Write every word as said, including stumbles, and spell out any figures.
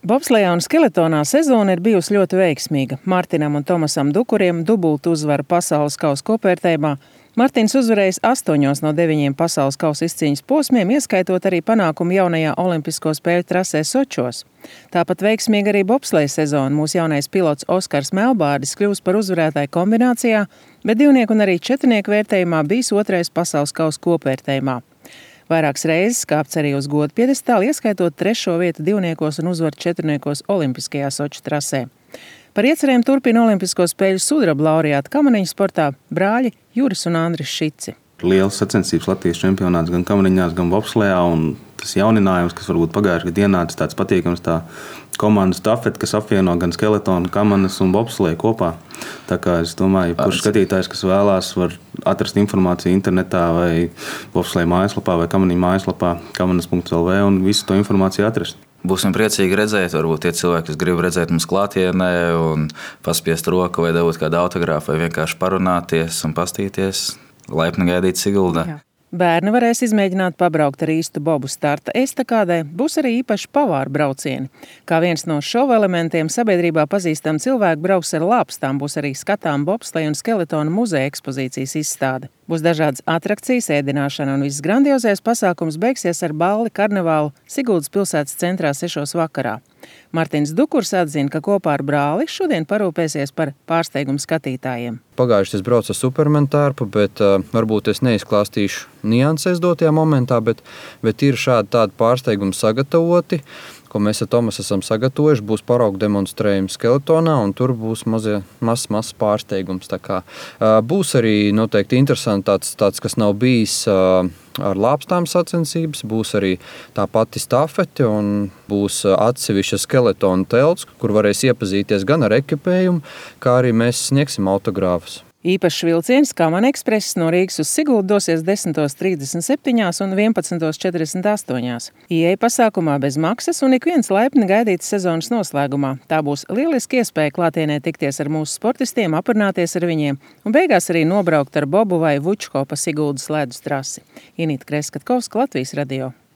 Bobslejā un skeletonā sezona ir bijusi ļoti veiksmīga. Martinam un Tomasam Dukuriem dubultu uzvaru pasaules kausa kopvērtējumā. Martins uzvarējis astoņos no deviņiem pasaules kausa izcīņas posmiem, ieskaitot arī panākumu jaunajā olimpisko spēļu trasē Sočos. Tāpat veiksmīgi arī bobsleja sezona. Mūsu jaunais pilots Oskars Melbārdis kļūs par uzvarētāju kombinācijā, bet divnieku un arī četrnieku vērtējumā bijis otrais pasaules kausa kopvērtējumā. Vairākas reizes kāpts arī uz godu piedestālu, ieskaitot trešo vietu divniekos un uzvaru četrniekos olimpiskajā Soču trasē. Par iecerēm turpina olimpisko spēļu sudraba laureāti kamaniņu sportā brāļi Juris un Andris Šici. Liels sacensības Latvijas čempionāts gan kamaniņās, gan bobslejā, un tas jauninājums, kas varbūt pagājušajā gadā ienāca, tāds patīkams, tā komandu stafeti, kas apvieno gan skeletonu, kamanas un bobsleju kopā. Tā kā es domāju, kurš skatītājs, kas vēlās, var atrast informāciju internetā vai bobsleju mājaslapā vai kamaniņu mājaslapā kamanas punkts el vē un visu to informāciju atrast. Būsim priecīgi redzēt, varbūt tie cilvēki, kas grib redzēt mums klātienē un paspiest roku vai dabūt kādu autogrāfu vai vienkārši parunāties un pastīties. Laipni gaidīt Siguldā. Jā. Bērni varēs izmēģināt pabraukt ar īstu bobu starta estakādē, būs arī īpaši pavāru braucieni. Kā viens no šova elementiem sabiedrībā pazīstam cilvēku brauks ar lāpstām, būs arī skatām bobsleja un skeletonu muzeja ekspozīcijas izstāde. Būs dažādas atrakcijas, ēdināšana un viss grandiozais pasākums beigsies ar balli karnevālu Siguldas pilsētas centrā sešos vakarā. Martins Dukurs atzina, ka kopā ar brāli šodien parūpēsies par pārsteigumu skatītājiem. Pagājuši es braucu ar Superman tērpu, bet uh, varbūt es neizklāstīšu nianses dotajā momentā, bet, bet ir šādi tādi pārsteigumi sagatavoti, ko mēs ar Tomasu esam sagatavojuši. Būs paraugu demonstrējums skeletonā, un tur būs mazie, mazs, mazs pārsteigums. Tā kā, uh, būs arī noteikti interesanti tāds, tāds kas nav bijis uh, ar lāpstām sacensības, būs arī tā pati stafete un būs atsevišķa skeletona telts, kur varēs iepazīties gan ar ekipējumu, kā arī mēs sniegsim autogrāfus. Īpašs vilciens Kamana ekspress no Rīgas uz Siguldu dosies desmit trīsdesmit septiņi un vienpadsmit četrdesmit astoņi. Ieeja pasākumā bez maksas un ik viens laipni gaidīts sezonas noslēgumā. Tā būs lieliski iespēja klātienē tikties ar mūsu sportistiem, aprunāties ar viņiem un beigās arī nobraukt ar bobu vai vučko pa Siguldas ledus trasi. Inīta Kreskatkovska, Latvijas radio.